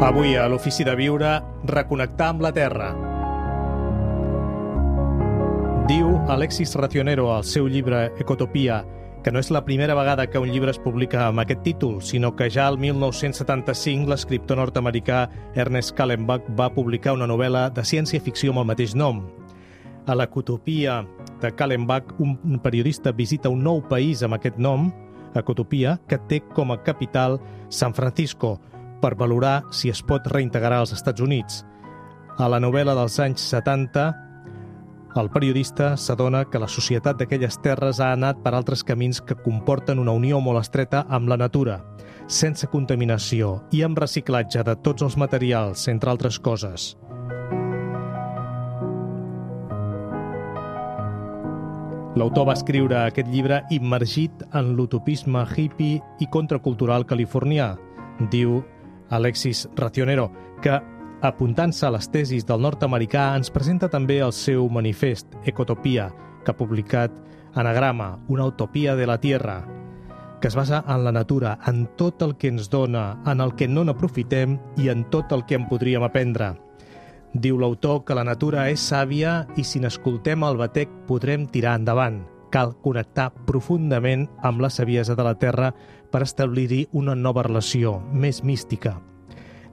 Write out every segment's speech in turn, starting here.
Avui a l'Ofici de Viure, reconnectar amb la Terra. Diu Alexis Racionero al seu llibre Ecotopia que no és la primera vegada que un llibre es publica amb aquest títol, sinó que ja el 1975 l'escriptor nord-americà Ernest Callenbach va publicar una novel·la de ciència-ficció amb el mateix nom. A l'Ecotopia de Callenbach, un periodista visita un nou país amb aquest nom, Ecotopia, que té com a capital San Francisco, per valorar si es pot reintegrar als Estats Units. A la novel·la dels anys 70, el periodista s'adona que la societat d'aquelles terres ha anat per altres camins que comporten una unió molt estreta amb la natura, sense contaminació i amb reciclatge de tots els materials, entre altres coses. L'autor va escriure aquest llibre immergit en l'utopisme hippie i contracultural californià, diu Alexis Racionero, que, apuntant-se a les tesis del nord-americà, ens presenta també el seu manifest, Ecotopia, que ha publicat Anagrama, una utopia de la Tierra, que es basa en la natura, en tot el que ens dona, en el que no n'aprofitem i en tot el que en podríem aprendre. Diu l'autor que la natura és sàvia i si n'escoltem el batec podrem tirar endavant. Cal connectar profundament amb la saviesa de la Terra per establir-hi una nova relació, més mística.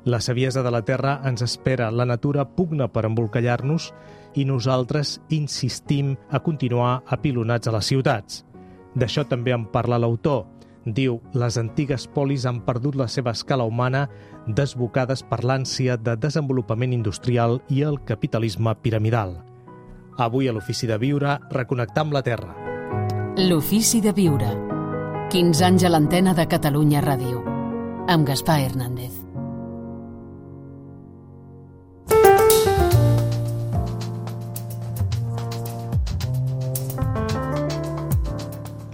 La saviesa de la Terra ens espera, la natura pugna per embolcallar-nos i nosaltres insistim a continuar apilonats a les ciutats. D'això també en parla l'autor. Diu, les antigues polis han perdut la seva escala humana desbocades per l'ànsia de desenvolupament industrial i el capitalisme piramidal. Avui a l'Ofici de Viure, reconnectar amb la Terra. L'Ofici de Viure. 15 anys a l'antena de Catalunya Ràdio. Amb Gaspar Hernández.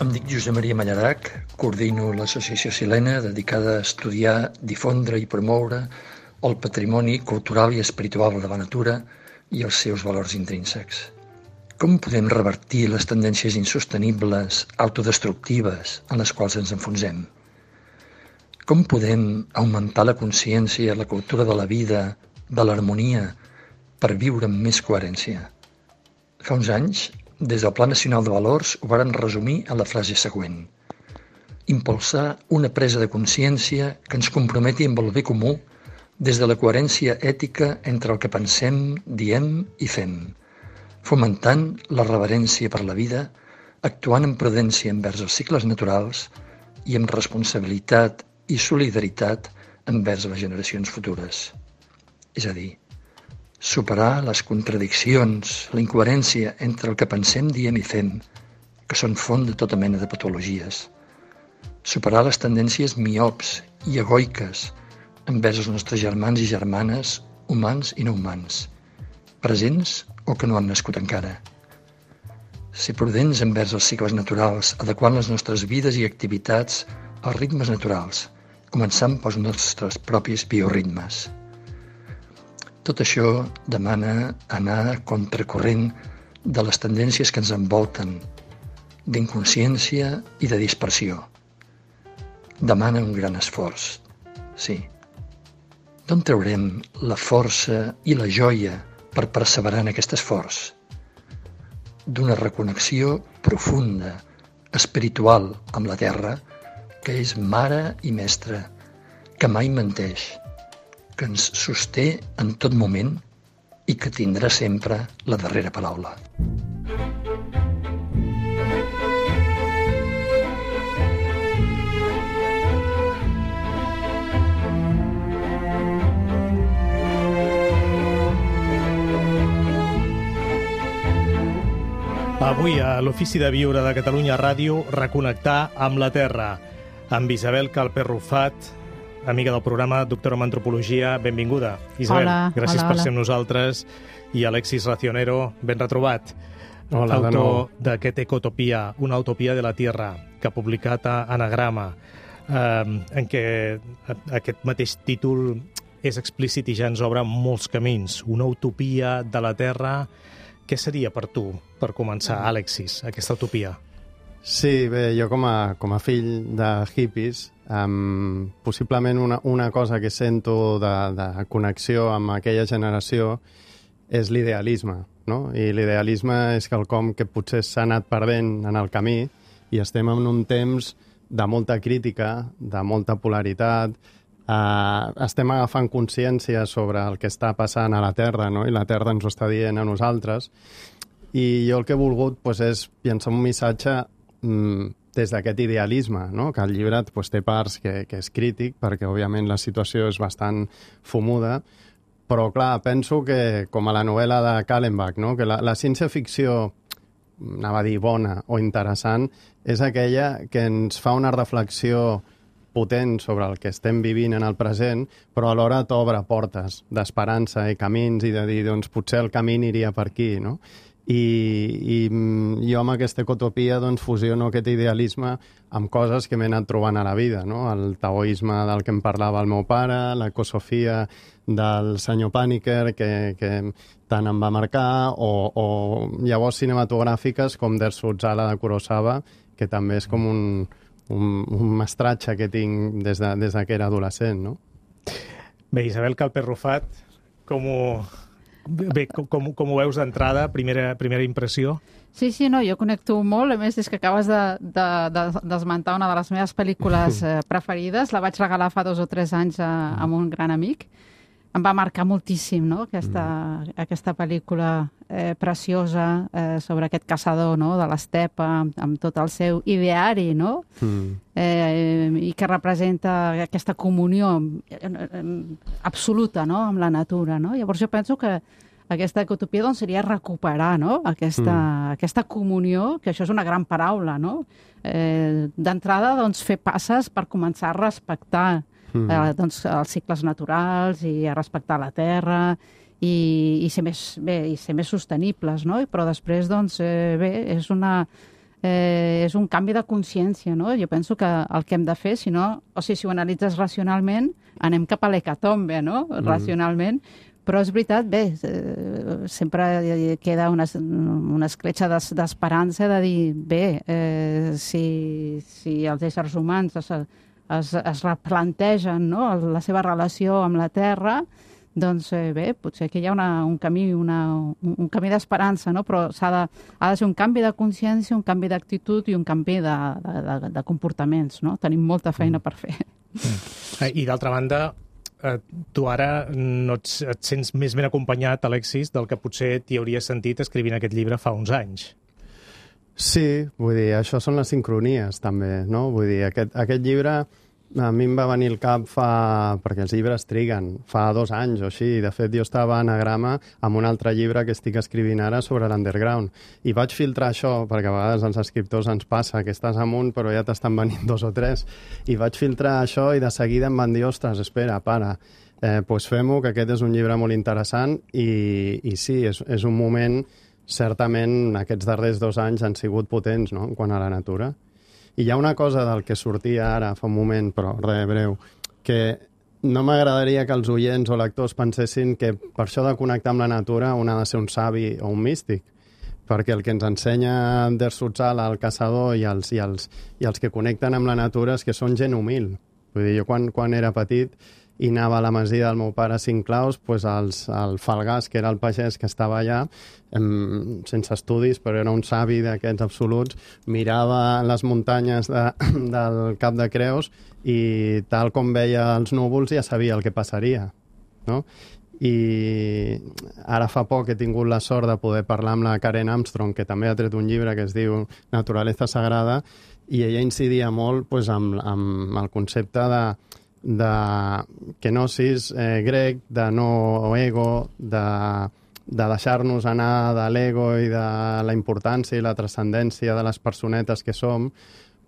Em dic Josep Maria Mallarac, coordino l'associació Silena dedicada a estudiar, difondre i promoure el patrimoni cultural i espiritual de la natura i els seus valors intrínsecs. Com podem revertir les tendències insostenibles, autodestructives en les quals ens enfonsem? Com podem augmentar la consciència, la cultura de la vida, de l'harmonia, per viure amb més coherència? Fa uns anys, des del Pla Nacional de Valors, ho varen resumir en la frase següent: impulsar una presa de consciència que ens comprometi amb el bé comú des de la coherència ètica entre el que pensem, diem i fem, fomentant la reverència per la vida, actuant amb prudència envers els cicles naturals i amb responsabilitat i solidaritat envers les generacions futures. És a dir, superar les contradiccions, la incoherència entre el que pensem, diem i fem, que són font de tota mena de patologies. Superar les tendències miops i egoiques envers els nostres germans i germanes, humans i no humans, presents o que no han nascut encara. Ser prudents envers els cicles naturals, adequant les nostres vides i activitats als ritmes naturals, començant pels nostres propis bioritmes. Tot això demana anar a contracorrent de les tendències que ens envolten, d'inconsciència i de dispersió. Demana un gran esforç, sí. D'on traurem la força i la joia per perseverar en aquest esforç? D'una reconnexió profunda, espiritual amb la Terra, que és mare i mestra, que mai menteix, que ens sosté en tot moment i que tindrà sempre la darrera paraula. Avui a l'Ofici de Viure de Catalunya Ràdio, reconnectar amb la Terra. Amb Isabel Calper-Rufat, amiga del programa, doctora en antropologia, benvinguda. Isabel, hola, gràcies hola, per hola. ser amb nosaltres. I Alexis Racionero, ben retrobat. Hola, de nou. Autor d'aquest Ecotopia, una utopia de la Tierra, que ha publicat a Anagrama, en què aquest mateix títol és explícit i ja ens obre molts camins. Una utopia de la Terra. Què seria per tu, per començar, Alexis, aquesta utopia? Sí, bé, jo com a fill de hippies Possiblement una cosa que sento de connexió amb aquella generació és l'idealisme, no? I l'idealisme és quelcom que potser s'ha anat perdent en el camí i estem en un temps de molta crítica, de molta polaritat, estem agafant consciència sobre el que està passant a la Terra, no? I la Terra ens ho està dient a nosaltres. I jo el que he volgut és llançar un missatge des d'aquest idealisme, no? Que el llibre té parts que és crític, perquè òbviament la situació és bastant fumuda, però clar, penso que, com a la novel·la de Kallenbach, no? Que la ciència-ficció, anava a dir bona o interessant, és aquella que ens fa una reflexió potent sobre el que estem vivint en el present, però alhora t'obre portes d'esperança i camins i de dir, doncs, potser el camí aniria per aquí, no? I jo amb aquesta ecotopia fusiono aquest idealisme amb coses que m'he anat trobant a la vida, no? El taoisme del que em parlava el meu pare, l'ecosofia del senyor Paniker, que tant em va marcar, o llavors cinematogràfiques com Der Sutzala de Kurosawa, que també és com un mestratge que tinc des que era adolescent, no? Bé, Isabel Calper Rufat, com ho veus d'entrada, primera impressió? Sí, no, jo connecto molt. A més, és que acabes d'esmentar una de les meves pel·lícules preferides. La vaig regalar fa 2 o 3 anys a un gran amic. Em va marcar moltíssim, no?, aquesta pel·lícula preciosa sobre aquest caçador, no?, de l'estepa, amb tot el seu ideari, no?, i que representa aquesta comunió absoluta, no?, amb la natura, no? Llavors jo penso que aquesta ecotopia seria recuperar, no?, aquesta comunió, que això és una gran paraula, no? D'entrada, fer passes per començar a respectar els cicles naturals i a respectar la terra i ser més sostenibles, no? Però després, és un canvi de consciència, no? Jo penso que el que hem de fer, si ho analitzes racionalment, anem cap a l'hecatombe, no? Racionalment, però és veritat, sempre queda una escletxa d'esperança de dir, si els éssers humans es replantegen, no?, la seva relació amb la Terra, potser que hi ha un camí d'esperança, no? Però ha de ser un canvi de consciència, un canvi d'actitud i un canvi de comportaments, no? Tenim molta feina per fer. I d'altra banda, tu ara no et sents més ben acompanyat, Alexis, del que potser t'hi hauries sentit escrivint aquest llibre fa uns anys. Sí, vull dir, això són les sincronies, també, no? Vull dir, aquest llibre a mi em va venir al cap perquè els llibres triguen, fa 2 anys o així. De fet, jo estava a Anagrama amb un altre llibre que estic escrivint ara sobre l'underground. I vaig filtrar això, perquè a vegades als escriptors ens passa que estàs amunt però ja t'estan venint 2 o 3. I vaig filtrar això i de seguida em van dir, ostres, espera, para, doncs fem-ho, que aquest és un llibre molt interessant i sí, és un moment. Certament, aquests darrers 2 anys han sigut potents, no?, en quant a la natura. I hi ha una cosa del que sortia ara fa un moment, però res, breu, que no m'agradaria que els oients o lectors pensessin que per això de connectar amb la natura un ha de ser un savi o un místic, perquè el que ens ensenya Der Sutzala, el caçador, i els que connecten amb la natura és que són gent humil. Vull dir, jo quan era petit i anava a la masia del meu pare a Cinclaus, doncs el Falgàs, que era el pagès que estava allà, sense estudis, però era un savi d'aquests absoluts, mirava les muntanyes del Cap de Creus i tal com veia els núvols ja sabia el que passaria, no? I ara fa poc he tingut la sort de poder parlar amb la Karen Armstrong, que també ha tret un llibre que es diu Naturaleza Sagrada, i ella incidia molt amb el concepte de kenosis grec, de no ego, de deixar-nos anar de l'ego i de la importància i la transcendència de les personetes que som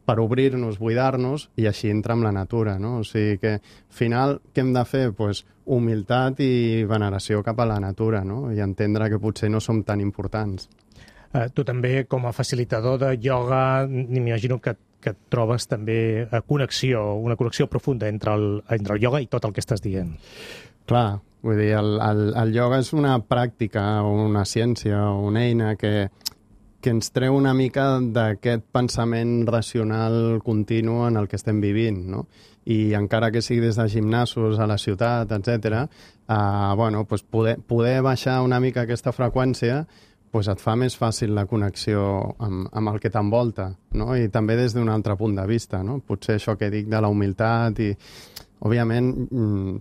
per obrir-nos, buidar-nos i així entrar en la natura, no? O sigui que, al final, què hem de fer? Doncs humilitat i veneració cap a la natura, no? I entendre que potser no som tan importants. Tu també, com a facilitador de ioga, m'imagino que trobes també una connexió profunda entre el ioga i tot el que estàs dient. Clar, vull dir, el ioga és una pràctica o una ciència o una eina que que ens treu una mica d'aquest pensament racional continu en el que estem vivint, no? I encara que sigui des de gimnasos a la ciutat, etc., pues poder baixar una mica aquesta freqüència pues et fa més fàcil la connexió amb el que t'envolta, no? I també des d'un altre punt de vista, no? Potser això que dic de la humilitat i... Òbviament,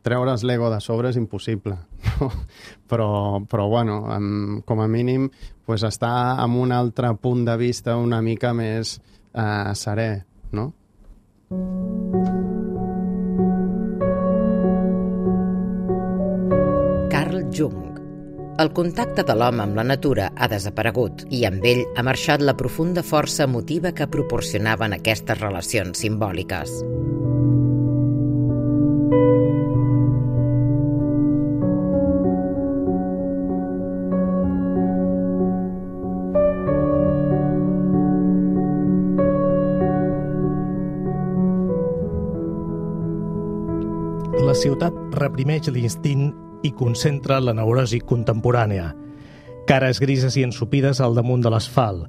treure's l'ego de sobre és impossible, no? Però bueno, com a mínim, pues estar en un altre punt de vista una mica més serè, no? Carl Jung. El contacte de l'home amb la natura ha desaparegut i amb ell ha marxat la profunda força emotiva que proporcionaven aquestes relacions simbòliques. La ciutat reprimeix l'instint i concentra la neurosi contemporània. Cares grises i ensopides al damunt de l'asfalt,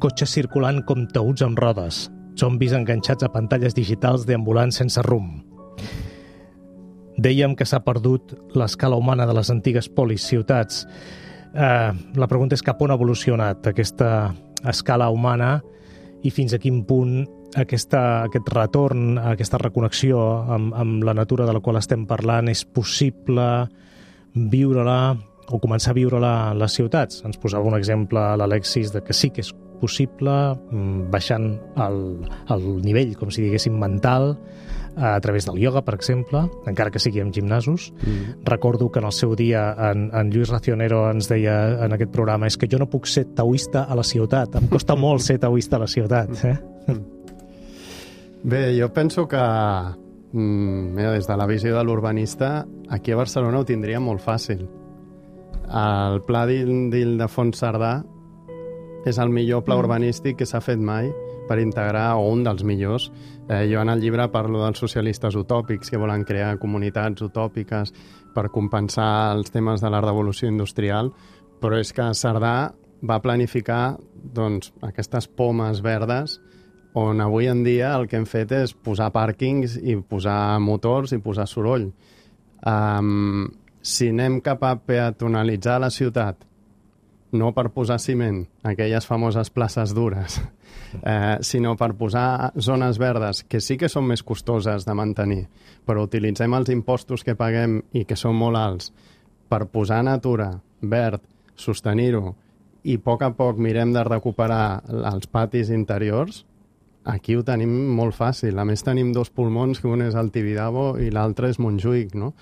cotxes circulant com taüts amb rodes, zombis enganxats a pantalles digitals deambulant sense rumb. Dèiem que s'ha perdut l'escala humana de les antigues polis-ciutats. La pregunta és cap on ha evolucionat aquesta escala humana i fins a quin punt aquest retorn, aquesta reconnexió amb la natura de la qual estem parlant és possible viure-la o començar a viure-la a les ciutats. Ens posava un exemple l'Alexis de que sí que és possible, baixant el nivell, com si diguéssim, mental, a través del ioga, per exemple, encara que sigui en gimnasos. Recordo que en el seu dia en Lluís Racionero ens deia en aquest programa és que jo no puc ser taoista a la ciutat, em costa molt ser taoista a la ciutat. Bé, jo penso que des de la visió de l'urbanista, aquí a Barcelona ho tindria molt fàcil. El Pla d'Ildefons Cerdà és el millor pla urbanístic que s'ha fet mai per integrar, o un dels millors. Jo en el llibre parlo dels socialistes utòpics que volen crear comunitats utòpiques per compensar els temes de la revolució industrial, però és que Cerdà va planificar aquestes pomes verdes on avui en dia el que hem fet és posar pàrquings i posar motors i posar soroll. Si anem cap a peatonalitzar la ciutat, no per posar ciment, aquelles famoses places dures, sinó per posar zones verdes, que sí que són més costoses de mantenir, però utilitzem els impostos que paguem i que són molt alts per posar natura, verd, sostenir-ho, i a poc mirem de recuperar els patis interiors, aquí ho tenim molt fàcil. A més, tenim dos pulmons, que un és el Tibidabo i l'altre és Montjuïc, no?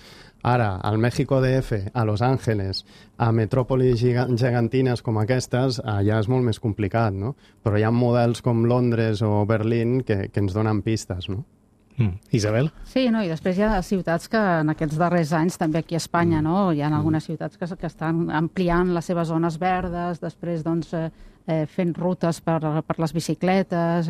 Ara, al México DF, a Los Ángeles, a metròpolis gegantines com aquestes, allà és molt més complicat, no? Però hi ha models com Londres o Berlín que ens donen pistes, no? Isabel? Sí, no, i després hi ha ciutats que en aquests darrers anys, també aquí a Espanya, no? Hi ha algunes ciutats que estan ampliant les seves zones verdes, després, fent rutes per les bicicletes,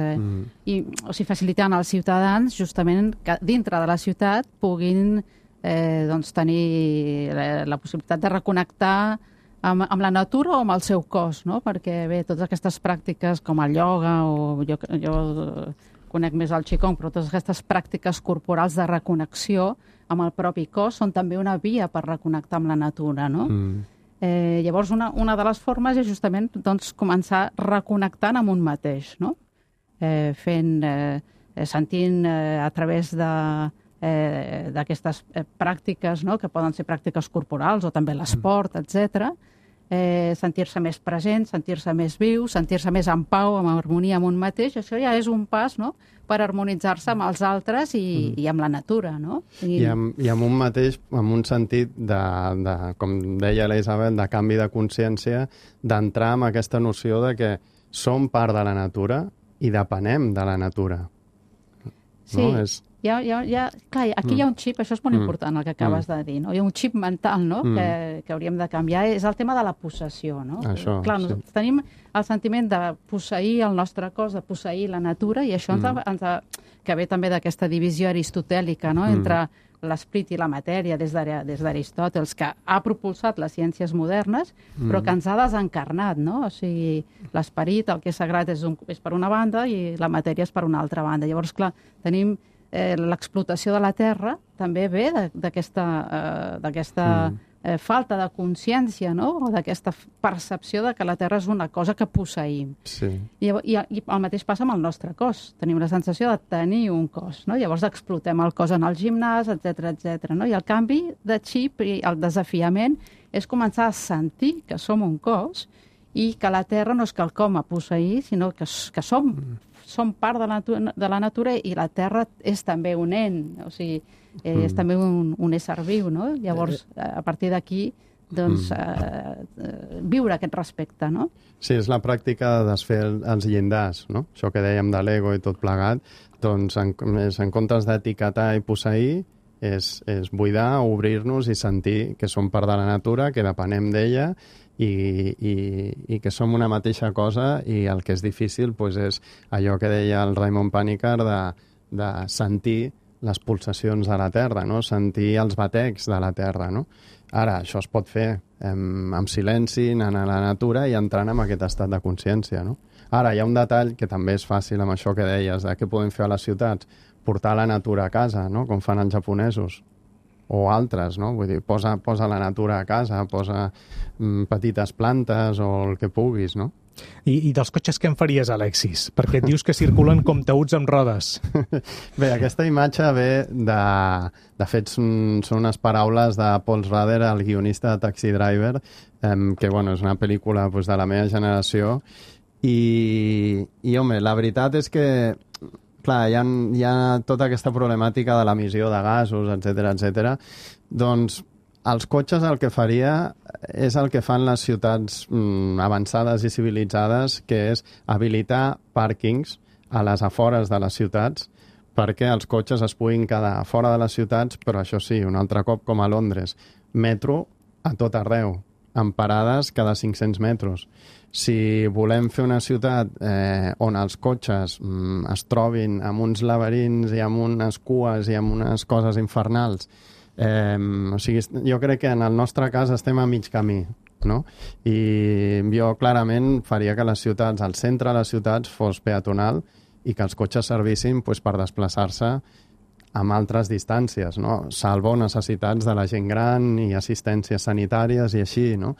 facilitant als ciutadans justament que dintre de la ciutat puguin tenir la possibilitat de reconnectar amb la natura o amb el seu cos, no? Perquè, bé, totes aquestes pràctiques com el ioga, o jo conec més el qigong, però totes aquestes pràctiques corporals de reconnexió amb el propi cos són també una via per reconnectar amb la natura, no? Llavors, una de les formes és justament començar reconnectant amb un mateix, no? Sentint a través d'aquestes pràctiques, no? Que poden ser pràctiques corporals o també l'esport, etc. Sentir-se més present, sentir-se més viu, sentir-se més en pau, en harmonia amb un mateix, això ja és un pas, no?, per harmonitzar-se amb els altres i amb la natura, no? I amb un mateix, amb un sentit com deia la Isabel, de canvi de consciència, d'entrar en aquesta noció de que som part de la natura i depenem de la natura. Sí, no? Clar, aquí hi ha un xip, això és molt important el que acabes de dir, no? Hi ha un xip mental, no?, que hauríem de canviar, és el tema de la possessió, no? Això, clar, nosaltres tenim el sentiment de posseir el nostre cos, de posseir la natura, i això que ve també d'aquesta divisió aristotèlica, no?, entre l'esprit i la matèria des d'Aristòteles, que ha propulsat les ciències modernes, però que ens ha desencarnat, no? O sigui, l'esperit, el que és sagrat és per una banda i la matèria és per una altra banda. Llavors, clar, tenim l'explotació de la terra també ve d'aquesta falta de consciència, no? O d'aquesta percepció de que la terra és una cosa que posseïm. Sí. I el mateix passa amb el nostre cos. Tenim la sensació de tenir un cos, no? Llavors explotem el cos en el gimnàs, etc. No? I el canvi de xip i el desafiament és començar a sentir que som un cos i que la terra no és quelcom a posseir, sinó que som part de la natura i la terra és també un ent, o sigui, és també un ésser viu, no? Llavors, a partir d'aquí, doncs, viure aquest respecte, no? Sí, és la pràctica de desfer els llindars, no? Això que dèiem de l'ego i tot plegat, doncs, en comptes d'etiquetar i posseir, és buidar, obrir-nos i sentir que som part de la natura, que depenem d'ella i que som una mateixa cosa, i el que és difícil doncs, és allò que deia el Raymond Panikkar de sentir les pulsacions de la Terra, no? Sentir els batecs de la Terra. No? Ara, això es pot fer amb silenci, anant a la natura i entrant en aquest estat de consciència. No? Ara, hi ha un detall que també és fàcil amb això que deies, de què podem fer a les ciutats, portar la natura a casa, no? Com fan els japonesos, o altres, no? Vull dir, posa la natura a casa, posa petites plantes o el que puguis, no? I dels cotxes què en faries, Alexis? Perquè et dius que circulen com taüts amb rodes. Bé, aquesta imatge ve de fet, són unes paraules de Paul Schrader, el guionista de Taxi Driver, que, bueno, és una pel·lícula doncs, de la meva generació, i home, la veritat és que clar, hi ha tota aquesta problemàtica de l'emissió de gasos, etc. Doncs els cotxes el que faria és el que fan les ciutats avançades i civilitzades, que és habilitar pàrquings a les afores de les ciutats perquè els cotxes es puguin quedar fora de les ciutats, però això sí, un altre cop com a Londres, metro a tot arreu, amb parades cada 500 metres. Si volem fer una ciutat on els cotxes es trobin amb uns laberints i amb unes cues i amb unes coses infernals, o sigui, jo crec que en el nostre cas estem a mig camí, no? I jo clarament faria que les ciutats, el centre de les ciutats fos peatonal i que els cotxes servissin doncs, per desplaçar-se amb altres distàncies, no? Salvo necessitats de la gent gran i assistències sanitàries i així, no?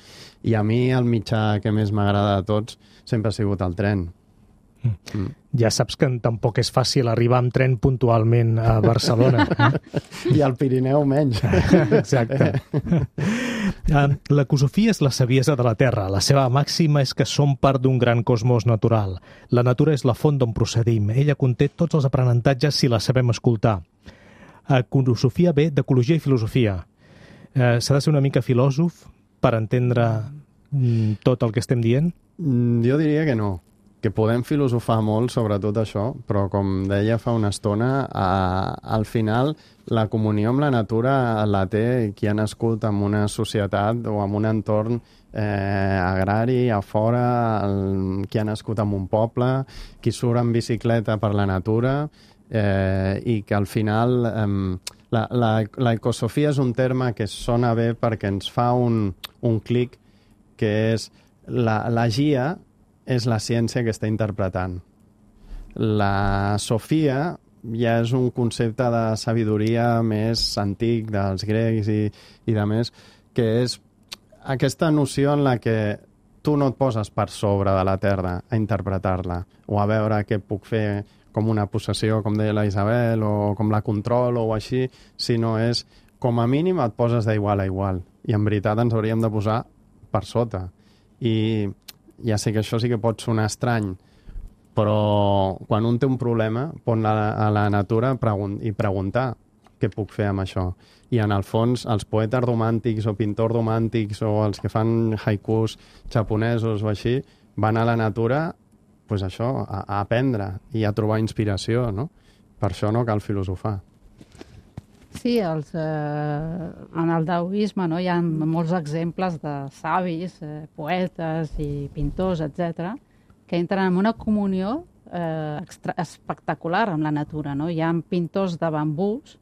I a mi el mitjà que més m'agrada de tots sempre ha sigut el tren. Ja saps que tampoc és fàcil arribar amb tren puntualment a Barcelona. I al Pirineu menys. Exacte. L'ecosofia és la saviesa de la Terra. La seva màxima és que som part d'un gran cosmos natural. La natura és la font d'on procedim. Ella conté tots els aprenentatges si la sabem escoltar. Ecosofia ve d'ecologia i filosofia. S'ha de ser una mica filòsof per entendre tot el que estem dient? Jo diria que no. Que podem filosofar molt sobre tot això, però com deia fa una estona, al final la comunió amb la natura la té qui ha nascut en una societat o en un entorn agrari, a fora, qui ha nascut en un poble, qui surt en bicicleta per la natura, i que al final l'ecosofia és un terme que sona bé perquè ens fa un clic, que és la GIA és la ciència que està interpretant. La Sofia ja és un concepte de sabidoria més antic dels grecs i de més, que és aquesta noció en la que tu no et poses per sobre de la Terra a interpretar-la o a veure què puc fer com una possessió, com deia la Isabel, o com la controlo o així, sinó és, com a mínim, et poses d'igual a igual. I en veritat ens hauríem de posar per sota. I ja sé que això sí que pot sonar estrany, però quan un té un problema, pon a la natura i preguntar què puc fer amb això. I en el fons, els poetes romàntics o pintors romàntics o els que fan haikus japonesos o així, van a la natura pues això, a aprendre i a trobar inspiració, no? Per això no cal filosofar. Sí, en el daoisme hi ha molts exemples de savis, poetes i pintors, etc., que entren en una comunió espectacular amb la natura. No? Hi ha pintors de bambús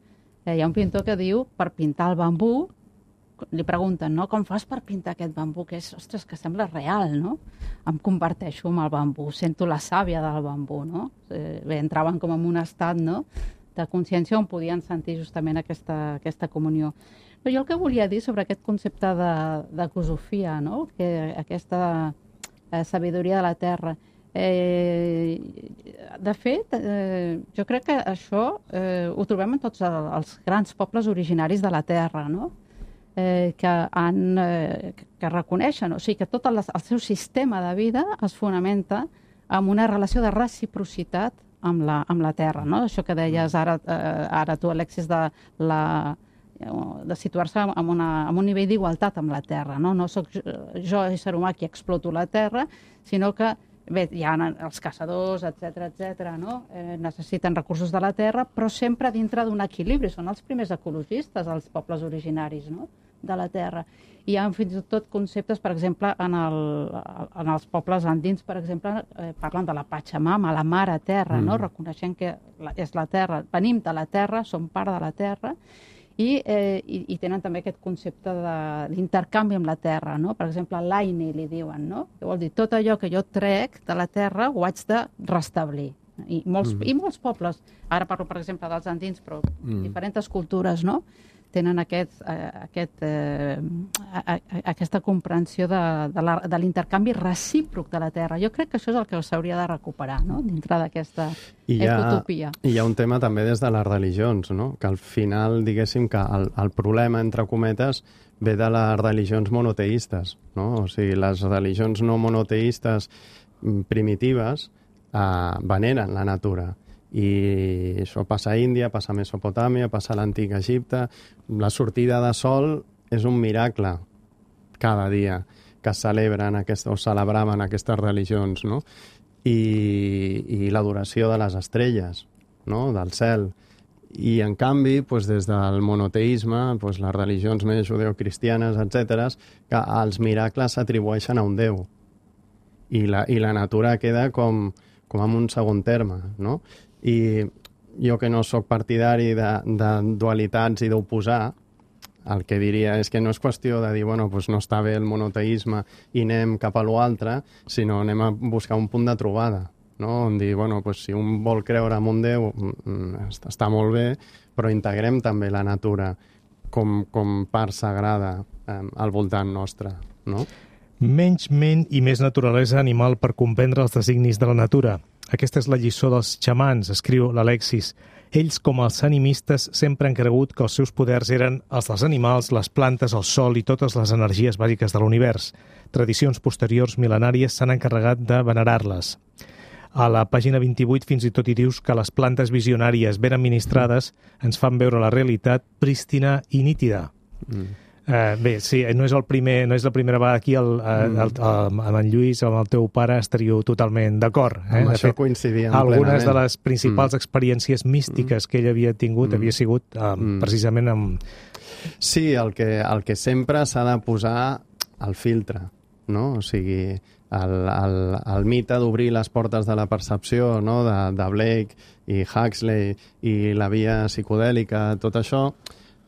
Hi ha un pintor que diu, per pintar el bambú, li pregunten, no? Com fas per pintar aquest bambú? Que és, ostres, que sembla real, no? Em converteixo en el bambú, sento la sàvia del bambú, no? Bé, entraven com en un estat, no?, de consciència on podien sentir justament aquesta comunió. Però jo el que volia dir sobre aquest concepte de cosofia, no?, que aquesta sabidoria de la terra. De fet, jo crec que això ho trobem en tots els grans pobles originaris de la terra, no?, que reconeixen, o sigui, que tot el seu sistema de vida es fonamenta en una relació de reciprocitat amb la terra, no? Això que deies ara tu, Alexis, de situar-se en un nivell d'igualtat amb la terra, no? No soc jo, ésser humà, qui exploto la terra, sinó que, bé, hi ha els caçadors, etc., no? Necessiten recursos de la terra, però sempre dintre d'un equilibri. Són els primers ecologistes, els pobles originaris, no?, de la terra. Hi ha fins i tot conceptes, per exemple, en els pobles andins, per exemple, parlen de la Pachamama, la mare terra, no?, reconeixent que és la terra. Venim de la terra, som part de la terra, i tenen també aquest concepte d'intercanvi amb la terra, no? Per exemple, l'aini li diuen, no?, que vol dir tot allò que jo trec de la terra ho haig de restablir. I molts pobles, ara parlo, per exemple, dels andins, però diferents cultures, no?, tenen aquesta comprensió de l'intercanvi recíproc de la terra. Jo crec que això és el que s'hauria de recuperar, no?, dintre d'aquesta utopia. I hi ha un tema també des de les religions, no?, que al final, diguéssim, que el problema, entre cometes, ve de les religions monoteistes, no? O sigui, les religions no monoteistes primitives veneren la natura. I això passa a Índia, passa a Mesopotàmia, passa a l'antic Egipte. La sortida de sol és un miracle cada dia que celebren o celebraven aquestes religions, no? I l'adoració de les estrelles, no?, del cel. I, en canvi, des del monoteisme, les religions més judeocristianes, etc., que els miracles s'atribueixen a un déu. I la natura queda com en un segon terme, no? I jo, que no sóc partidari de dualitats i d'oposar, el que diria és que no és qüestió de dir, bueno, doncs no està bé el monoteisme i anem cap a l'altre, sinó anem a buscar un punt de trobada, no? On dir, bueno, doncs si un vol creure en un déu, està molt bé, però integrem també la natura com part sagrada al voltant nostre, no? Menys ment i més naturalesa animal per comprendre els designis de la natura. Aquesta és la lliçó dels xamans, escriu l'Alexis. Ells, com els animistes, sempre han cregut que els seus poders eren els dels animals, les plantes, el sol i totes les energies bàsiques de l'univers. Tradicions posteriors mil·lenàries s'han encarregat de venerar-les. A la pàgina 28 fins i tot hi dius que les plantes visionàries ben administrades ens fan veure la realitat prístina i nítida. Bé, sí, no és la primera vegada aquí amb en Lluís o amb el teu pare estaríeu totalment d'acord. Amb això coincidíem plenament. Algunes de les principals experiències místiques que ell havia tingut havia sigut precisament amb... Sí, el que sempre s'ha de posar el filtre, no? O sigui, el mite d'obrir les portes de la percepció, no?, de Blake i Huxley i la via psicodèlica, tot això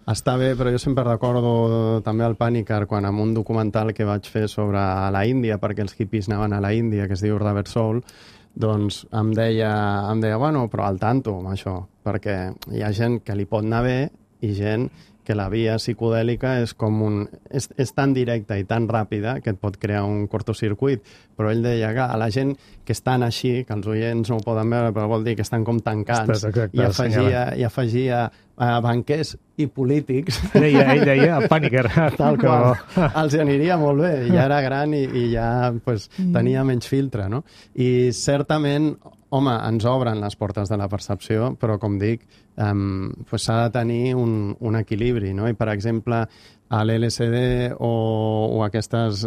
està bé, però jo sempre recordo també el Panikkar, quan en un documental que vaig fer sobre la Índia, perquè els hippies anaven a la Índia, que es diu Rubber Soul, doncs em deia, bueno, però al tanto amb això, perquè hi ha gent que li pot anar bé i gent que la via psicodèlica és tan directa i tan ràpida que et pot crear un cortocircuit. Però ell deia que a la gent que estan així, que els oients no ho poden veure, però vol dir que estan com tancats, i afegia banquers i polítics. Ell deia Panikkar. Tal qual. Els aniria molt bé. Ja era gran i ja tenia menys filtre, no? I certament, home, ens obren les portes de la percepció, però, com dic, s'ha de tenir un equilibri, no? I, per exemple, a l'LSD o aquestes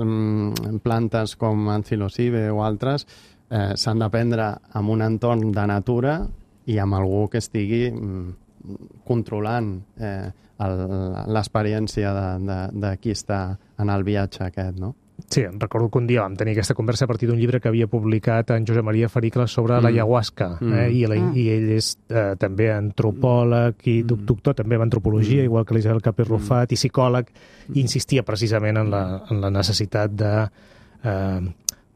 plantes com en psilocibe o altres s'han de prendre en un entorn de natura i amb algú que estigui controlant l'experiència de qui està en el viatge aquest, no? Sí, em recordo que un dia vam tenir aquesta conversa a partir d'un llibre que havia publicat en Josep Maria Fericles sobre l'ayahuasca, i ell és també antropòleg i doctor també en antropologia, igual que l'Isabel Capés Rufat, i psicòleg, i insistia precisament en la necessitat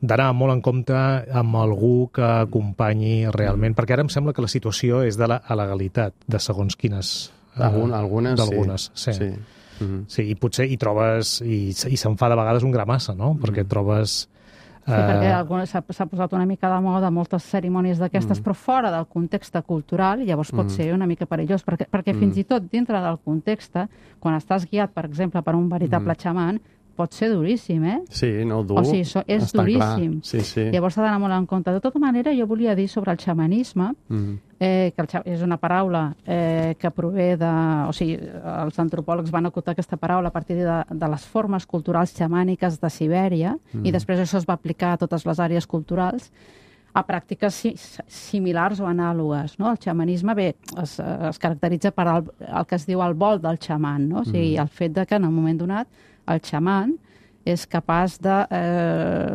d'anar molt en compte amb algú que acompanyi realment, perquè ara em sembla que la situació és de la legalitat de segons quines... D'algunes, sí. Sí, i potser hi trobes, i se'n fa de vegades un gra massa, no? Perquè trobes... Sí, perquè s'ha posat una mica de moda moltes cerimònies d'aquestes, però fora del context cultural, llavors pot ser una mica perillós, perquè fins i tot dintre del context, quan estàs guiat, per exemple, per un veritable xaman, pot ser duríssim, eh? Sí, no, dur. O sigui, és duríssim. Sí. Llavors s'ha d'anar molt en compte. De tota manera, jo volia dir sobre el xamanisme, que és una paraula que prové de... O sigui, els antropòlegs van acotar aquesta paraula a partir de les formes culturals xamàniques de Sibèria, i després això es va aplicar a totes les àrees culturals, a pràctiques similars o anàlogues, no? El xamanisme, bé, es caracteritza per el que es diu el vol del xaman, no? O sigui, el fet de que en un moment donat el xaman és capaç de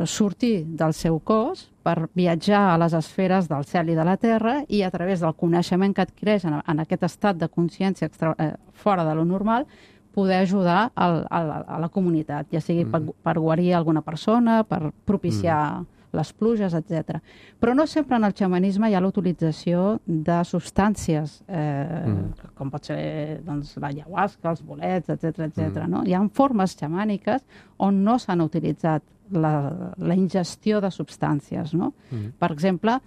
sortir del seu cos per viatjar a les esferes del cel i de la terra i a través del coneixement que adquireix en aquest estat de consciència fora de lo normal poder ajudar a la comunitat, ja sigui per guarir alguna persona, per propiciar les pluges, etc. Però no sempre en el xamanisme hi ha la utilització de substàncies, com pot ser doncs, l'ayahuasca, els bolets, etc. No? Hi ha formes xamàniques on no s'han utilitzat la ingestió de substàncies. No? Per exemple,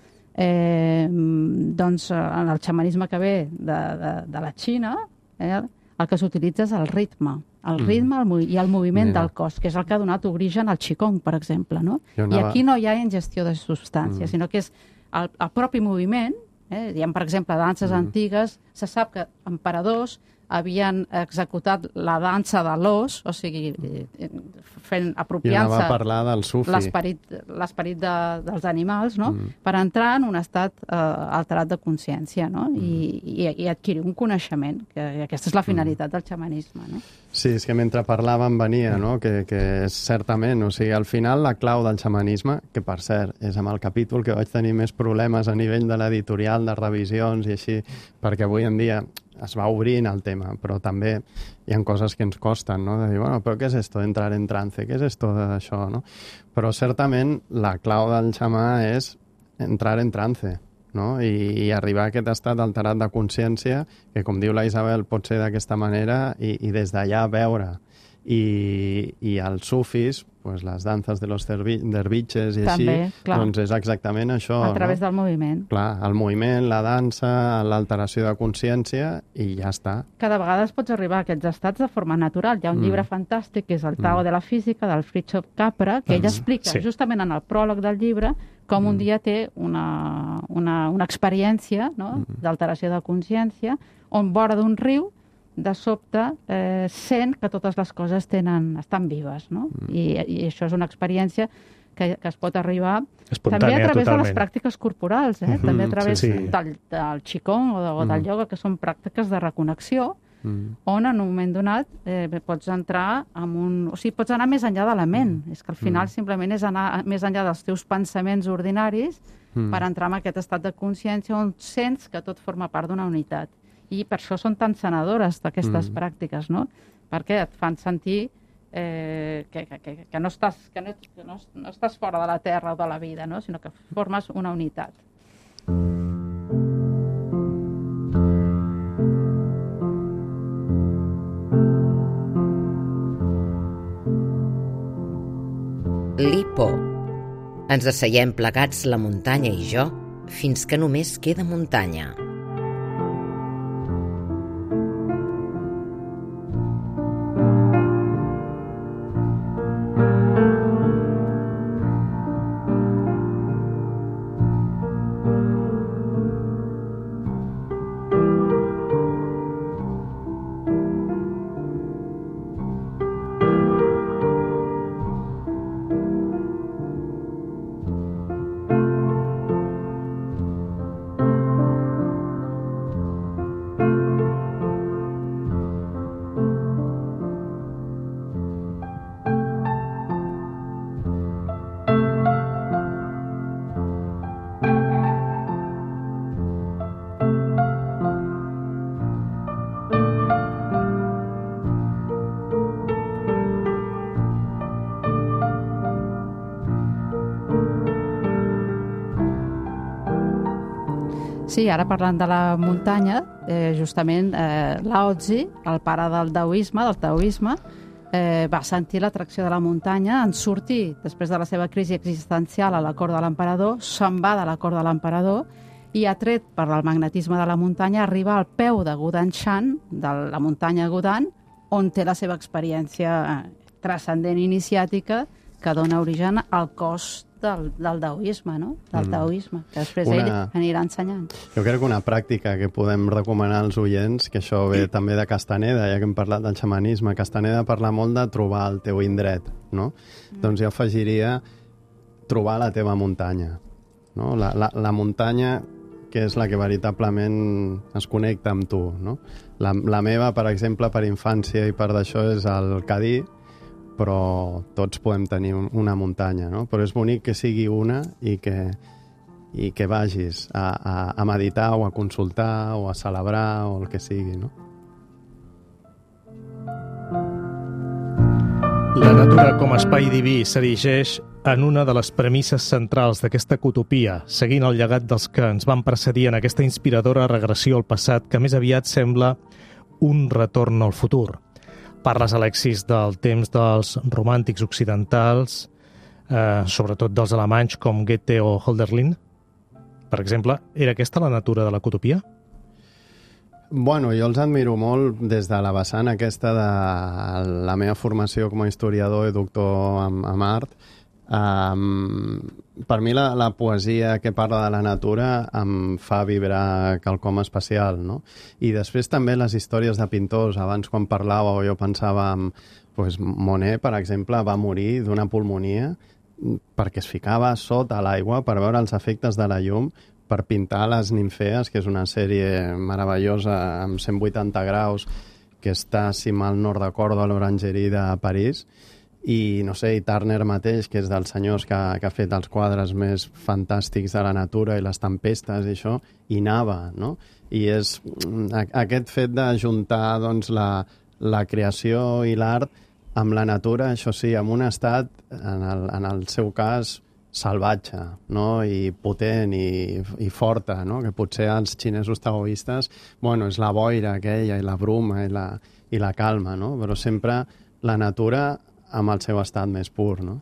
doncs, en el xamanisme que ve de la Xina, el que s'utilitza és el ritme i el moviment del cos, que és el que ha donat origen al Qigong, per exemple. No? I aquí no hi ha ingestió de substàncies, sinó que és el propi moviment. Diem, per exemple, danses antigues, se sap que emperadors havien executat la dansa de l'os, o sigui, apropiant-se l'esperit dels animals, no? Per entrar en un estat alterat de consciència, no? I adquirir un coneixement, que aquesta és la finalitat del xamanisme. No? Sí, és que mentre parlàvem venia, no? Que és certament, o sigui, al final la clau del xamanisme, que per cert és amb el capítol que vaig tenir més problemes a nivell de l'editorial, de revisions i així, perquè avui en dia es va obrint el tema, però també hi ha coses que ens costen, no? De dir, bueno, però què és esto d'entrar en trance? Què és esto d'això, no? Però certament la clau del xamà és entrar en trance, no? I arribar a aquest estat alterat de consciència, que com diu la Isabel pot ser d'aquesta manera, i des d'allà veure. I els sufis, pues, les danses de los derviches i així, doncs és exactament això. A través del moviment. Clar, el moviment, la dansa, l'alteració de consciència i ja està. Cada vegada pots arribar a aquests estats de forma natural. Hi ha un llibre fantàstic que és el Tao de la Física, del Fritjof Capra, que ell explica justament en el pròleg del llibre com un dia té una experiència, no? D'alteració de consciència on vora d'un riu de sobte sent que totes les coses estan vives, no? I això és una experiència que es pot arribar també a través de les pràctiques corporals, també a través del Qigong o del ioga, que són pràctiques de reconnexió, on en un moment donat pots entrar o sigui, pots anar més enllà de la ment. És que al final simplement és anar més enllà dels teus pensaments ordinaris per entrar en aquest estat de consciència on sents que tot forma part d'una unitat. I per això són tan sanadores d'aquestes pràctiques, no? Perquè et fan sentir que no estàs fora de la terra o de la vida, no? Sinó que formes una unitat. Lipo. Ens asseiem plegats la muntanya i jo fins que només queda muntanya. Sí, ara parlant de la muntanya, justament Lao Tzu, el pare del taoisme, va sentir l'atracció de la muntanya, en sortir després de la seva crisi existencial a la cort de l'emperador, se'n va de la cort de l'emperador i, atret per el magnetisme de la muntanya, arriba al peu de Gudanshan, de la muntanya Gudan, on té la seva experiència transcendent iniciàtica que dona origen al cos del taoisme, no? Del taoisme, que després ell anirà ensenyant. Jo crec que una pràctica que podem recomanar als oients, que això ve també de Castaneda, ja que hem parlat del xamanisme, Castaneda parla molt de trobar el teu indret, no? Doncs jo afegiria trobar la teva muntanya, no? La muntanya que és la que veritablement es connecta amb tu, no? La meva, per exemple, per infància i per d'això és el Cadí, però tots podem tenir una muntanya, no? Però és bonic que sigui una i que vagis a meditar o a consultar o a celebrar o el que sigui, no? La natura com a espai diví s'erigeix en una de les premisses centrals d'aquesta utopia, seguint el llegat dels que ens van precedir en aquesta inspiradora regressió al passat que més aviat sembla un retorn al futur. Parles, Alexis, del temps dels romàntics occidentals, sobretot dels alemanys com Goethe o Hölderlin. Per exemple, era aquesta la natura de la utopia? Bueno, jo els admiro molt des de la vessant aquesta de la meva formació com a historiador i doctor en art. Per mi la poesia que parla de la natura em fa vibrar quelcom especial, no? I després també les històries de pintors. Abans, quan parlàveu, jo pensava en Monet, per exemple, va morir d'una pulmonia perquè es ficava sota l'aigua per veure els efectes de la llum per pintar les Nimfees, que és una sèrie meravellosa amb 180 graus que està, si mal no recordo, a l'Orangerie de París. I, no sé, i Turner mateix, que és dels senyors que ha fet els quadres més fantàstics de la natura i les tempestes i això, i nava, no? I és aquest fet d'ajuntar doncs, la creació i l'art amb la natura, això sí, amb un estat, en el seu cas, salvatge, no? I potent i forta, no? Que potser els xinesos taoistes, bueno, és la boira aquella i la bruma i la calma, no? Però sempre la natura amb el seu estat més pur, no?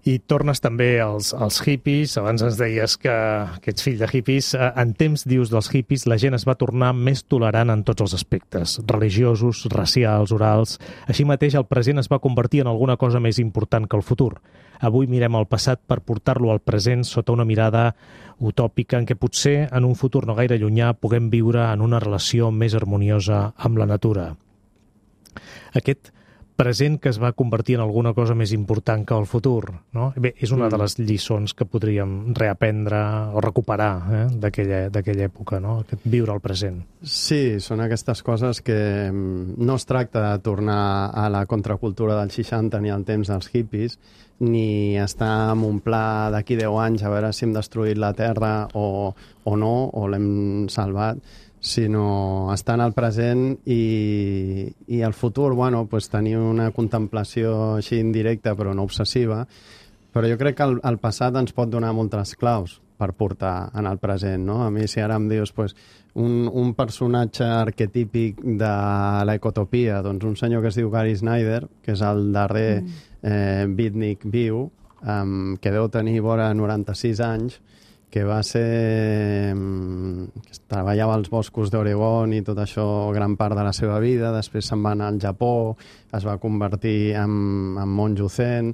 I tornes també als hippies. Abans ens deies que ets fill de hippies. En temps, dius, dels hippies, la gent es va tornar més tolerant en tots els aspectes, religiosos, racials, orals. Així mateix, el present es va convertir en alguna cosa més important que el futur. Avui mirem el passat per portar-lo al present sota una mirada utòpica en què potser, en un futur no gaire llunyà, puguem viure en una relació més harmoniosa amb la natura. Aquest present que es va convertir en alguna cosa més important que el futur, no? Bé, és una de les lliçons que podríem reaprendre o recuperar d'aquella època, no? Viure el present. Sí, són aquestes coses que no es tracta de tornar a la contracultura dels 60 ni al temps dels hippies, ni estar en un pla d'aquí 10 anys a veure si hem destruït la Terra o no, o l'hem salvat, sinó estar en el present i el futur, bueno, pues tenir una contemplació així indirecta però no obsessiva, però jo crec que el passat ens pot donar moltes claus per portar en el present, no? A mi, si ara em dius pues, un personatge arquetípic de l'ecotopia, doncs un senyor que es diu Gary Snyder, que és el darrer beatnik viu, que deu tenir vora 96 anys, que va ser... que treballava als boscos d'Oregon i tot això gran part de la seva vida, després se'n va anar al Japó, es va convertir en monjo zen,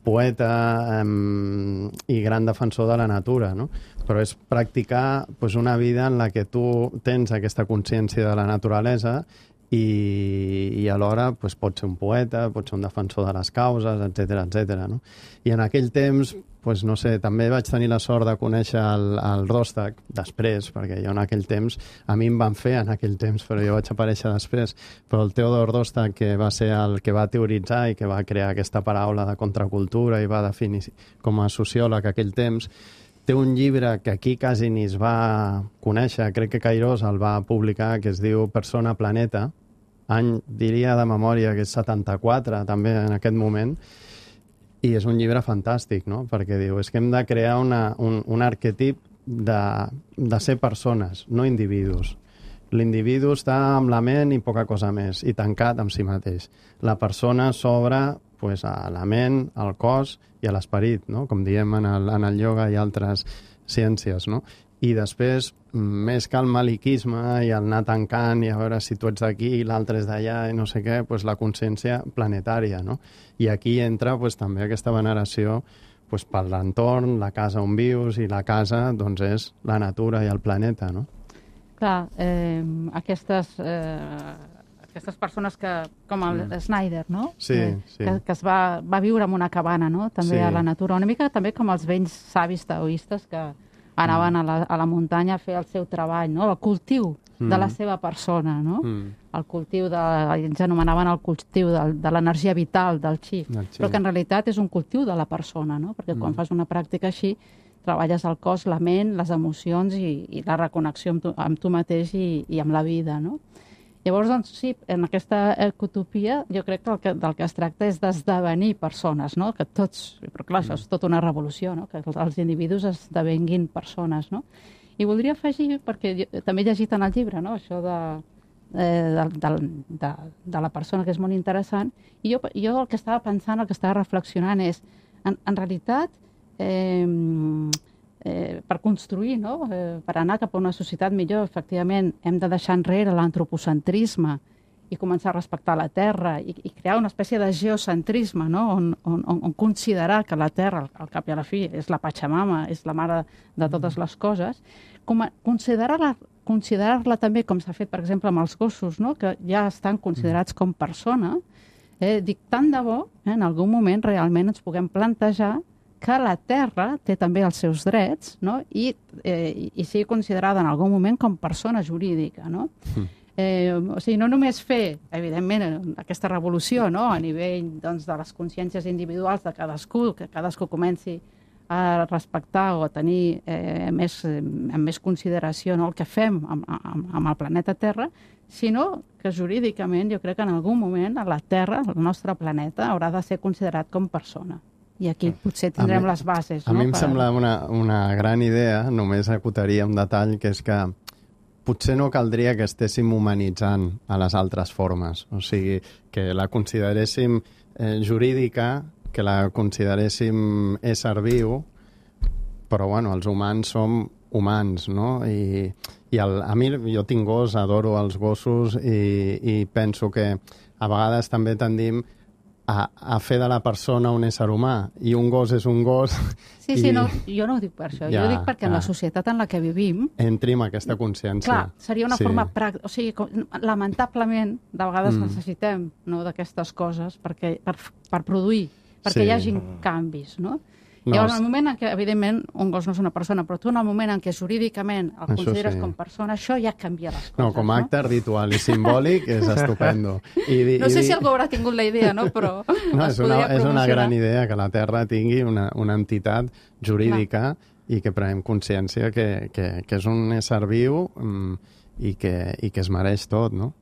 poeta i gran defensor de la natura, no? Però és practicar pues, una vida en la que tu tens aquesta consciència de la naturalesa i alhora pues, pot ser un poeta, pot ser un defensor de les causes, etc. No? I en aquell temps, pues, no sé, també vaig tenir la sort de conèixer el Rostak després, perquè jo en aquell temps, a mi em van fer en aquell temps, però jo vaig aparèixer després, però el Theodor Rostak, que va ser el que va teoritzar i que va crear aquesta paraula de contracultura i va definir com a sociòleg aquell temps, té un llibre que aquí quasi ni es va conèixer, crec que Cairós el va publicar, que es diu Persona Planeta, any, diria de memòria, que és 74, també en aquest moment, i és un llibre fantàstic, no? Perquè diu, és que hem de crear un arquetip de ser persones, no individus. L'individu està amb la ment i poca cosa més, i tancat amb si mateix. La persona s'obre a la ment, al cos i a l'esperit, no? Com diem en el ioga i altres ciències, no? I després, més que el maliquisme i el anar tancant i a veure si tu ets d'aquí i l'altre és d'allà i no sé què, la consciència planetària, no? I aquí entra també aquesta veneració per l'entorn, la casa on vius, i la casa és la natura i el planeta, no? Clar, aquestes persones com el Snyder, no? Sí. Que es va viure en una cabana, no? També a la natura, una mica també com els vells savis taoistes que anaven a la muntanya a fer el seu treball, no? El cultiu de la seva persona, no? El cultiu ells anomenaven el cultiu de l'energia vital, del chi, però que en realitat és un cultiu de la persona, no? Perquè quan fas una pràctica així treballes el cos, la ment, les emocions i la reconnexió amb tu mateix i amb la vida, no? Llavors, doncs, sí, en aquesta ecotopia jo crec que del que es tracta és d'esdevenir persones, no? Que tots, però clar, això és tota una revolució, no? Que els individus esdevenguin persones, no? I voldria afegir, perquè també he llegit en el llibre, no? Això de la persona, que és molt interessant, i jo el que estava pensant, el que estava reflexionant és, en realitat, per construir, no? Per anar cap a una societat millor, efectivament, hem de deixar enrere l'antropocentrisme i començar a respectar la Terra i crear una espècie de geocentrisme, no? On considerar que la Terra, al cap i a la fi, és la Pachamama, és la mare de totes les coses, considerar-la també, com s'ha fet, per exemple, amb els gossos, no? Que ja estan considerats com persona. Dic, tant de bo, en algun moment realment ens puguem plantejar que la Terra té també els seus drets, no? I sigui considerada en algun moment com persona jurídica, no? O sigui, no només fer, evidentment, aquesta revolució, no? A nivell, doncs, de les consciències individuals de cadascú, que cadascú comenci a respectar o a tenir amb més consideració, no? El que fem amb el planeta Terra, sinó que jurídicament jo crec que en algun moment la Terra, el nostre planeta, haurà de ser considerat com persona. I aquí potser tindrem les bases. A mi em sembla una gran idea, només acotaria un detall, que és que potser no caldria que estéssim humanitzant a les altres formes. O sigui, que la consideréssim jurídica, que la consideréssim ésser viu, però bueno, els humans som humans, no? I a mi, jo tinc gos, adoro els gossos i penso que a vegades també tendim a fer de la persona un ésser humà, i un gos és un gos. Sí, no, jo no ho dic per això, jo ho dic perquè en la societat en la que vivim entri amb aquesta consciència. Clar, seria una forma pràctica, o sigui, lamentablement, de vegades necessitem, no, d'aquestes coses per produir, perquè hi hagin canvis, no? Llavors, en el moment en què, evidentment, un gos no és una persona, però tu en el moment en què jurídicament el consideres com persona, això ja canvia les coses. No, com a acte ritual i simbòlic és estupendo. No sé si algú haurà tingut la idea, no? Però és una gran idea que la Terra tingui una entitat jurídica i que prenem consciència que és un ésser viu i que es mereix tot, no?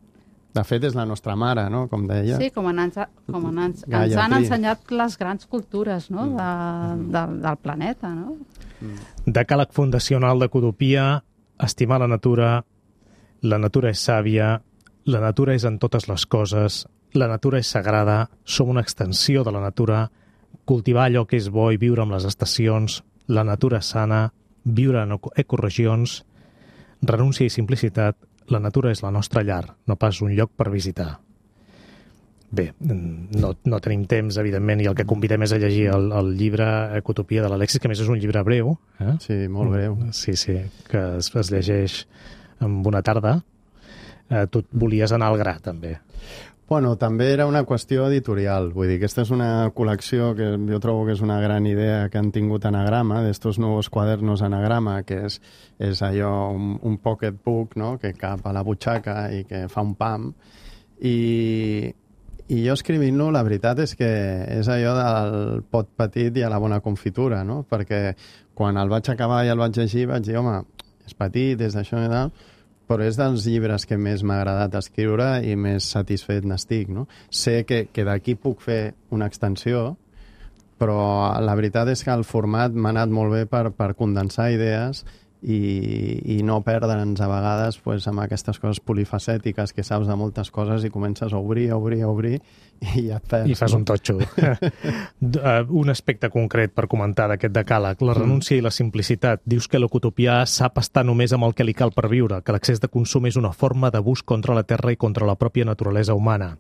De fet, és la nostra mare, no?, com deia. Sí, com ens han ensenyat les grans cultures, no?, del planeta, no? Decàleg fundacional d'Ecotopia: estimar la natura és sàvia, la natura és en totes les coses, la natura és sagrada, som una extensió de la natura, cultivar allò que és bo i viure amb les estacions, la natura sana, viure en ecoregions, renúncia i simplicitat. La natura és la nostra llar, no pas un lloc per visitar. Bé, no tenim temps, evidentment, i el que convidem és a llegir el llibre Ecotopia de l'Alexis, que a més és un llibre breu. Sí, molt breu. Sí, que es llegeix en una tarda. Tu volies anar al gra, també. Bueno, també era una qüestió editorial. Vull dir, aquesta és una col·lecció que jo trobo que és una gran idea que han tingut Anagrama, d'estos nous quadernos Anagrama, que és allò, un pocketbook, no?, que cap a la butxaca i que fa un pam. I jo escrivint-lo, la veritat és que és allò del pot petit i a la bona confitura, no? Perquè quan el vaig acabar i el vaig llegir, vaig dir, home, és petit, és d'això i tal, però és dels llibres que més m'ha agradat escriure i més satisfet n'estic, no? Sé que d'aquí puc fer una extensió, però la veritat és que el format m'ha anat molt bé per condensar idees i no perdre'ns a vegades amb aquestes coses polifacètiques que saps de moltes coses i comences a obrir i ja et perds. I fas un totxo. Un aspecte concret per comentar d'aquest decàleg, la renúncia i la simplicitat. Dius que l'ecotopià sap estar només amb el que li cal per viure, que l'excés de consum és una forma d'abús contra la terra i contra la pròpia naturalesa humana.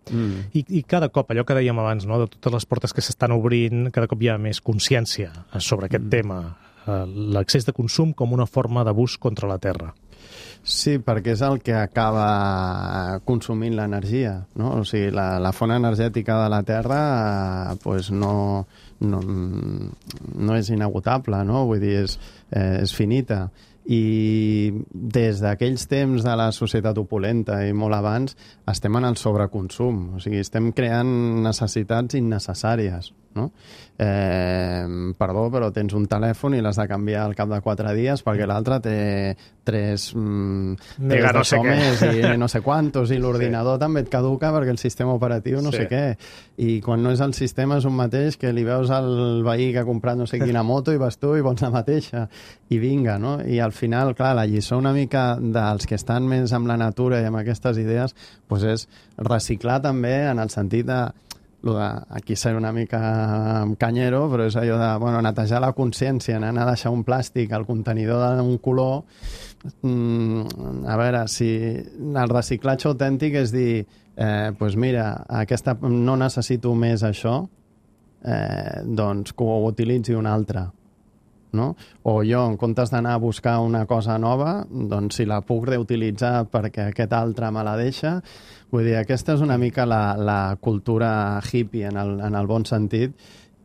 I cada cop, allò que dèiem abans, no, de totes les portes que s'estan obrint, cada cop hi ha més consciència sobre aquest tema. L'excés de consum com una forma d'abús contra la terra. Sí, perquè és el que acaba consumint l'energia, no? O sigui, la font energètica de la Terra no és inagotable, no? Vull dir, és finita. I des d'aquells temps de la societat opulenta i molt abans estem en el sobreconsum, o sigui, estem creant necessitats innecessàries, no? Perdó, però tens un telèfon i l'has de canviar al cap de 4 dies perquè l'altre té 3 no sé més i no sé quantos, i l'ordinador també et caduca perquè el sistema operatiu no sé què. I quan no és el sistema és un mateix que li veus al veí que ha comprat no sé quina moto i vas tu i vols la mateixa. I vinga, no? I al final, clar, la lliçó una mica dels que estan més amb la natura i amb aquestes idees doncs és reciclar també en el sentit de aquí ser una mica canyero, però és allò de netejar la consciència, anar a deixar un plàstic al contenidor d'un color. A veure, si el reciclatge autèntic és dir doncs mira, no necessito més això, doncs que ho utilitzi un altre. No? O jo, en comptes d'anar a buscar una cosa nova, doncs si la puc reutilitzar perquè aquest altre me la deixa. Vull dir, aquesta és una mica la cultura hippie en el bon sentit,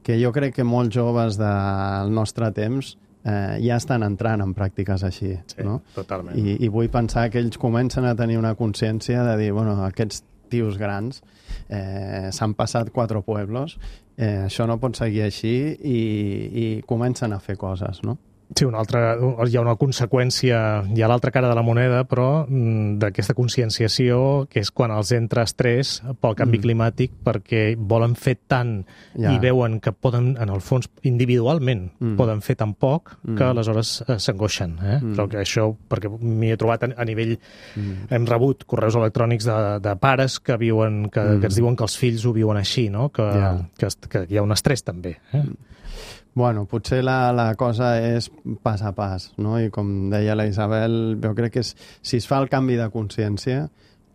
que jo crec que molts joves del nostre temps ja estan entrant en pràctiques així. Sí, no? Totalment. I vull pensar que ells comencen a tenir una consciència de dir, aquests tios grans s'han passat 4 pueblos, això no pot seguir així i comencen a fer coses, no? Sí, hi ha una conseqüència, hi ha l'altra cara de la moneda, però d'aquesta conscienciació, que és quan els entra estrès pel canvi climàtic, perquè volen fer tant i veuen que poden, en el fons, individualment, poden fer tan poc que aleshores s'angoixen. Però que això, perquè m'hi he trobat a nivell... Hem rebut correus electrònics de pares que ens diuen que els fills ho viuen així, no? Que hi ha un estrès també. Bueno, potser la cosa és pas a pas, no? I com deia la Isabel, jo crec que si es fa el canvi de consciència,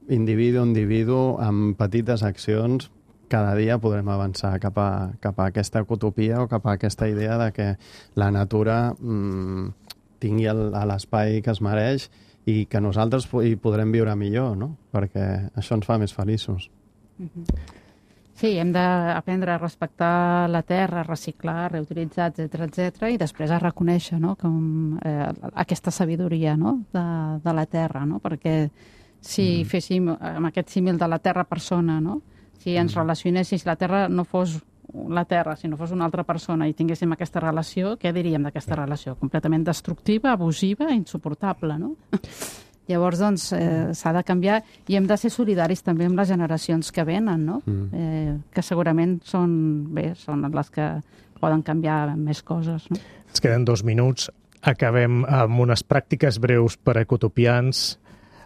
individu a individu, amb petites accions, cada dia podrem avançar cap a aquesta utopia o cap a aquesta idea de que la natura tingui l'espai que es mereix i que nosaltres hi podrem viure millor, no? Perquè això ens fa més feliços. Sí, hem d'aprendre a respectar la terra, a reciclar, reutilitzar, etc, i després a reconèixer, no? Aquesta sabidoria, no? de la terra, no? Perquè si féssim amb aquest símil de la terra-persona, no? Si ens relacionéssim, si la terra no fos la terra, si no fos una altra persona i tinguéssim aquesta relació, què diríem d'aquesta relació? Completament destructiva, abusiva, insuportable, no? Llavors, doncs, s'ha de canviar i hem de ser solidaris també amb les generacions que venen, no? Que segurament són les que poden canviar més coses, no? Ens queden 2 minuts. Acabem amb unes pràctiques breus per a ecotopians.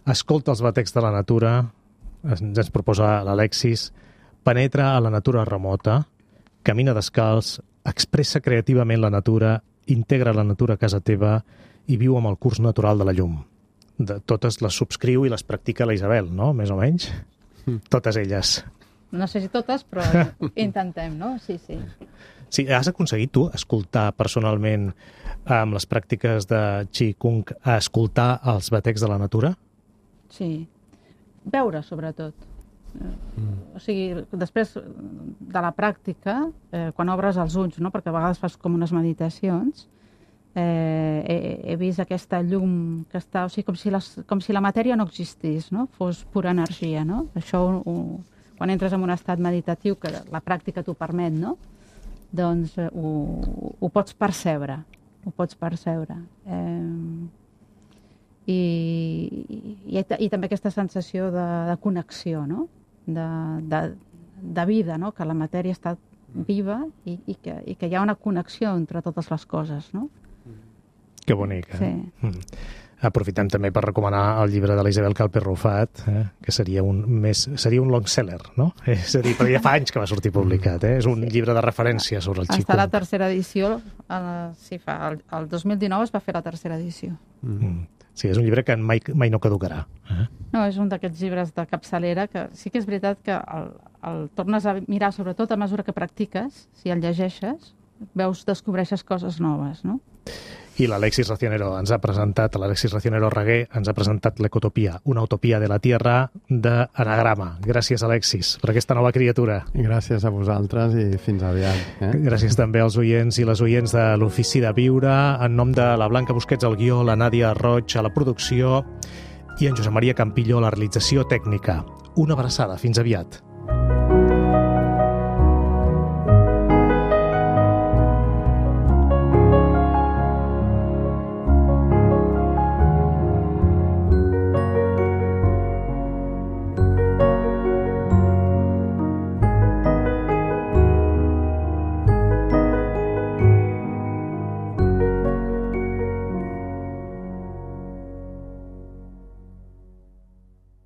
Escolta els batecs de la natura, ens proposa l'Alexis, penetra a la natura remota, camina descalç, expressa creativament la natura, integra la natura a casa teva i viu amb el curs natural de la llum. De totes les subscriu i les practica la Isabel, no? Més o menys. Totes elles. No sé si totes, però intentem, no? Sí. Sí, has aconseguit tu escoltar personalment amb les pràctiques de Qigong a escoltar els batecs de la natura? Sí. Veure, sobretot. O sigui, després de la pràctica, quan obres els ulls, no? Perquè a vegades fas com unes meditacions, he vist aquesta llum que està, o sigui, com si la matèria no existís, no? Fos pura energia, no? Això, quan entres en un estat meditatiu, que la pràctica t'ho permet, no? Doncs ho pots percebre, I també aquesta sensació de connexió, no? De vida, no? Que la matèria està viva i que hi ha una connexió entre totes les coses, no? Que bonic, Sí. Aprofitem també per recomanar el llibre de la Isabel Calper Rufat, que seria un long seller, no? És a dir, però ja fa anys que va sortir publicat, És un llibre de referència sobre el xicung. Està a la tercera edició, el 2019 es va fer la tercera edició. Sí, és un llibre que mai no caducarà. No, és un d'aquests llibres de capçalera que sí que és veritat que el tornes a mirar, sobretot a mesura que practiques, si el llegeixes, descobreixes coses noves, no? I l'Alexis Racionero Reguer ens ha presentat l'Ecotopia, una utopia de la Tierra d'Anagrama. Gràcies, Alexis, per aquesta nova criatura. Gràcies a vosaltres i fins aviat. Gràcies també als oients i les oients de l'Ofici de Viure, en nom de la Blanca Busquets al guió, la Nàdia Roig a la producció i en Josep Maria Campillo a la realització tècnica. Una abraçada, fins aviat.